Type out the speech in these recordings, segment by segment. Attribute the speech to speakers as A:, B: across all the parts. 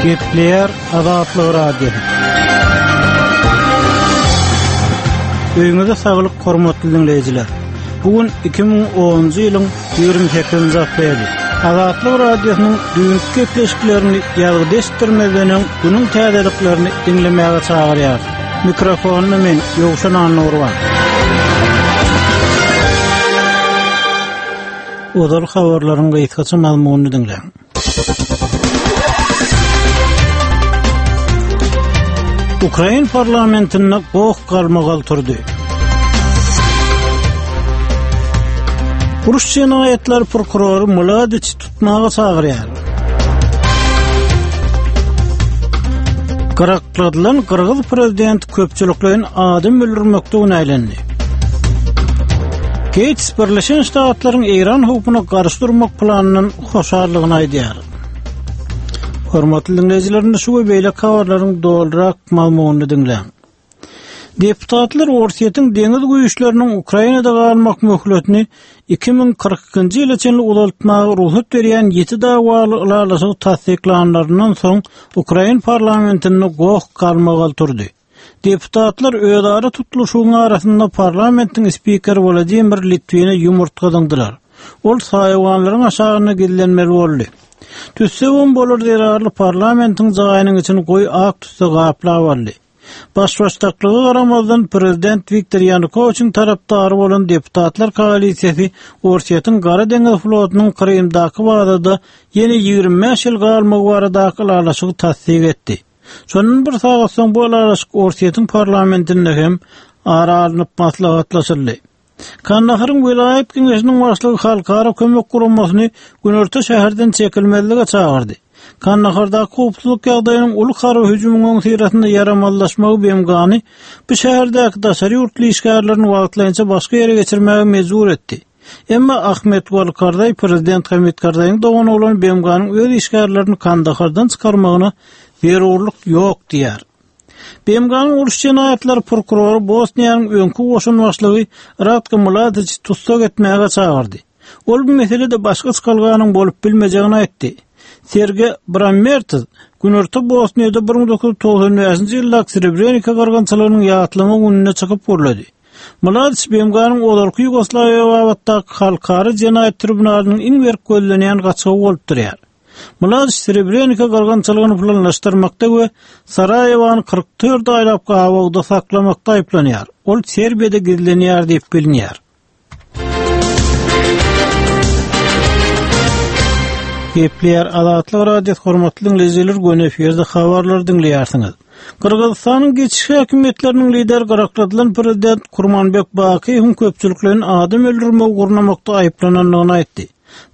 A: Gepleýär Azatlyk Radiosy. Öýüňize saglyk hormatly diňleýjiler. Bu gün 2010-njy ýylyň 28-nji apreli. Azatlyk Radiosynyň düýnki gepleşiklerini ýazgyda eşitdirmezden öň günüň täzeliklerini diňlemäge çagyrýar. Mikrofonda men Ýowşan Annagurban. Ozal habarlaryň gysgaça mazmunyny diňläň. Ukrain parlamentinde goh-galmagal turdy. Uruş jenaýatlary prokurory Mladiçi tutmaga çagyrýar. Gyrakladylan gyrgyz prezidenti köpçülikleýin adam öldürmekde günälendi. Geýts Birleşen Ştatlaryň Eýran howpuna garşy durmak planyndan hoşallygyny aýdýar. Hormatly diňleýjiler, indi şu we beýleki habarlaryň dolurak mazmunyny diňläň. Deputatlar Orsýetiň deňiz güýçleriniň Ukrainada galmak möhletini 2042-nji ýyla çenli uzaltmaga rugsat berýän ýiti dawaly ylalaşygy tassyklanlaryndan soň ukrain parlamentinde goh-galmagal turdy. Deputatlar özara tutluşygyň arasynda parlamentiň spikeri Wladimir Litwine ýumurtga zyňdylar. Ol saýawanlaryň aşagynda gizlenmeli boldy. Tüsse bombalar zerarly parlamentiň jaýynyň içini goýy ak tüsse gaplap aldy. Baş-başdaklyga garamazdan, prezident Wiktor Ýanukowiçiň tarapdary bolan deputatlar koalisiýasy Orsýetiň Gara deňiz flotunyň Krymdaky bazada ýene 25 ýyl galmagy baradaky ylalaşygy tassyk etdi. Şondan bir sagat soň bu ylalaşyk Orsýetiň parlamentinde hem ara alnyp maslahatlaşyldy. Kandaharyň welaýat geňeşiniň başlygy Halkara kömek guramasyny günorta şäherden çekilmezlige çagyrdy. Kandahardaky howpsuzlyk ýagdaýynyň uly harby hüjümiň öňüsyrasynda ýaramazlaşmagy BMG-ny bu şäherdäki daşary ýurtly işgärlerini wagtlaýynça başga ýere geçirmäge mejbur etdi. Emma Ahmet Wali Karzaý prezident Hamid Karzaýyň dogany bolan BMG-niň öz işgärlerini Kandahardan çykarmagyna zerurlyk ýok diýýär. BMG-niň uruş jenaýatlary prokurory Bosniýanyň öňki goşun başlygy Ratko Mladiçi tussag etmäge çagyrdy. Ol bu meselede başga çykalganyň bolup bilmejegini aýtdy. Serge Brammertz Günorta Bosniýada 1995-nji ýyldaky Srebrenika gyrgynçylygynyň ýatlama gününde çykyp gürledi. Mladiç BMG-niň ozalky Ýugoslawiýa babatdaky Halkara jenaýat tribunalynyň iň berk gözlenýän gaçgagy bolup durýar. Mladiç Srebrenika gyrgynçylygyny planlaşdyrmakda we Saraýewony 44 aýlap gabawda saklamakda aýyplanýar. Ol Serbiýada gizlenýär diýip bilinýär. Gepleýär Azatlyk Radiosy hormatly diňleýjiler göni efirde habarlary diňleýärsiňiz. Gyrgyzystanyň geçiş häkimiýetleriniň lideri gyrakladylan prezident Kurmanbek Bakyýewiň köpçülikleýin adam öldürmegi gurnamakda aýyplanandygyny aýtdy.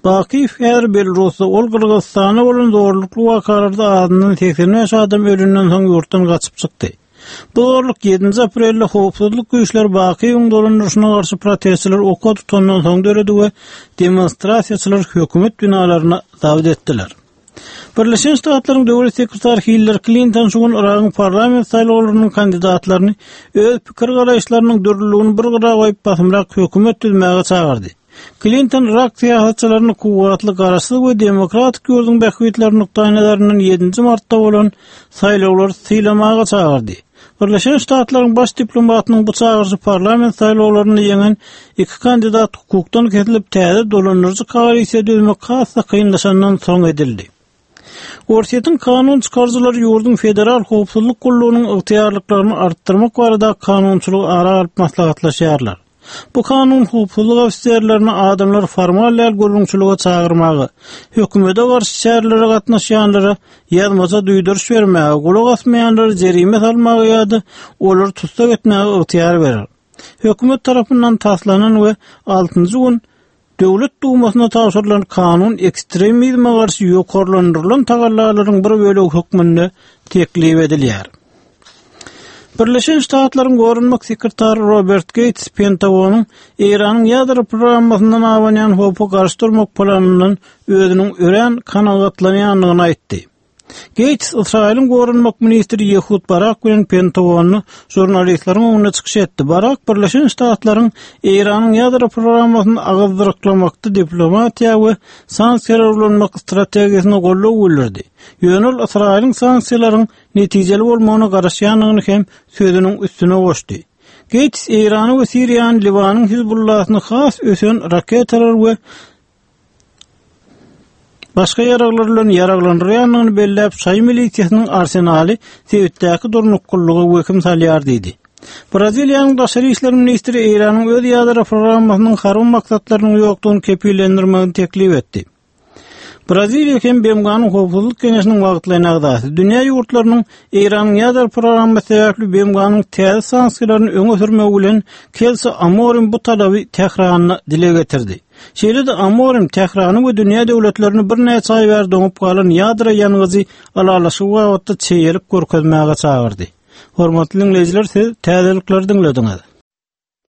A: Bakyýew häzir Belarusda, ol Gyrgyzystanda bolan zorlukly wakalarda azyndan 85 adam ölenden soň ýurtdan gaçyp çykdy. Bu zorluk ýedinji aprelde howpsuzlyk güýçleri Bakyýewiň dolandyryşyna garşy protestçileri oka tutandan soň döredi we demonstrasiýaçylar hökümet binalaryny zabt etdiler. Birleşen Ştatlaryň döwlet sekretary Hillari Klinton şu gün Yragyň parlament saýlawlarynyň kandidatlaryny öz pikir-garaýyşlarynyň dürlüligini bir gyra goýup basymrak hökümet düzmäge çagyrdy. Klinton yrak syýasatçylaryny kuwwatly garaşsyz we demokratik ýurduň bähbitleri nukdaýnazaryndan ýedinji martda bolan saýlawlary sylamaga çagyrdy. Birleşen Ştatlaryň baş diplomatynyň bu çagyryşy parlament saýlawlarynda ýeňen iki kandidat hukukdan kesilip, täze dolandyryjy koalisiýa düzmek has-da kynlaşandan soň edildi. Orsýetiň kanun çykaryjylary ýurduň Federal howpsuzlyk gullugynyň ygtyýarlyklaryny artdyrmak barada kanunçylygy ara alyp maslahatlaşýarlar. Bu kanun howpsuzlyk ofiserlerini adamlary formal däl gürrüňçilige çagyrmaga, hökümete garşy çärelere gatnaşýanlara ýazmaça duýduryş bermäge, gulak asmaýanlara jerime salmaga ýa-da olary tussag etmäge ygtyýar berer. Hökümet tarapyndan taslanan we altynjy gün Döwlet Dumasyna tabşyrylan kanun ekstremizme garşy ýokarlandyrylan tagallalaryň bir bölegi hökmünde teklip edilýär. Birleşen Ştatlaryň goranmak sekretary Robert Geýts Pentagonyň Eýranyň ýadro programmasyndan abanýan howpa garşy durmak planyndan özüniň örän kanagatlanýandygyny aýtdy. Geýts Ysraýylyň goranmak ministri Ýehud Barak bilen Pentagonda žurnalistleriň öňünde çykyş etdi. Barak Birleşen Ştatlaryň Eýranyň ýadro programmasyny agyzdyryklamakda diplomatiýa we sanksiýalary ulanmak strategiýasyna goldaw bildirdi. Ýöne ol Ysraýylyň sanksiýalaryň netijeli bolmagyna garaşýandygyny hem sözüniň üstüne goşdy. Geýts Eýrany we Siriýany Liwanyň Hizbullasyny has ösen raketalar we başga ýaraglar bilen ýaraglandyrýandygyny belläp, şaýy milisiýasynyň arsenaly sebitdäki durnuklylyga wehim salýar diýdi. Braziliýanyň daşary işler ministri Eýranyň öz ýadro programmasynyň harby maksatlarynyň ýokdugyny kepillendirmegini teklip etdi. Braziliýa hem BMG-niň Howpsuzlyk Geňeşiniň wagtlaýyn agzasy. Dünýä ýurtlarynyň Eýranyň ýadro programmasy sebäpli BMG-niň täze sanksiýalaryny öňe sürmegi bilen Kelso Amorim bu talaby Tähranda dile getirdi. Şeýle-de Amorim Tährany we dünýä döwletlerini birnäçe aý bäri doňup galan ýadro ýangyjy ylalaşygy babatda çeýelik görkezmäge çagyrdy. Hormatly diňleýjiler, siz täzelikleri diňlediňiz.